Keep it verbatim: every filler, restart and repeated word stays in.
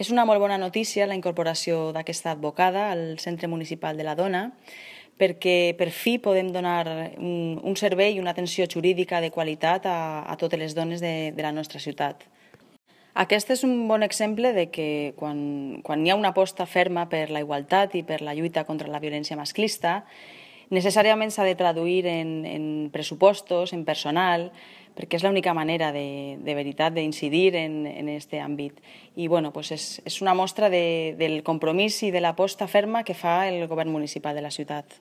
És una molt bona notícia la incorporació d'aquesta advocada al Centre Municipal de la Dona, perquè per fi podem donar un, un servei i una atenció jurídica de qualitat a, a totes les dones de, de la nostra ciutat. Aquest és un bon exemple de que quan, quan hi ha una aposta ferma per la igualtat i per la lluita contra la violència masclista, necessàriament s'ha de traduir en, en pressupostos, en personal, perquè és l'única manera de, de veritat d'incidir en aquest àmbit. I bueno, pues és, és una mostra de, del compromís i de l'aposta ferma que fa el govern municipal de la ciutat.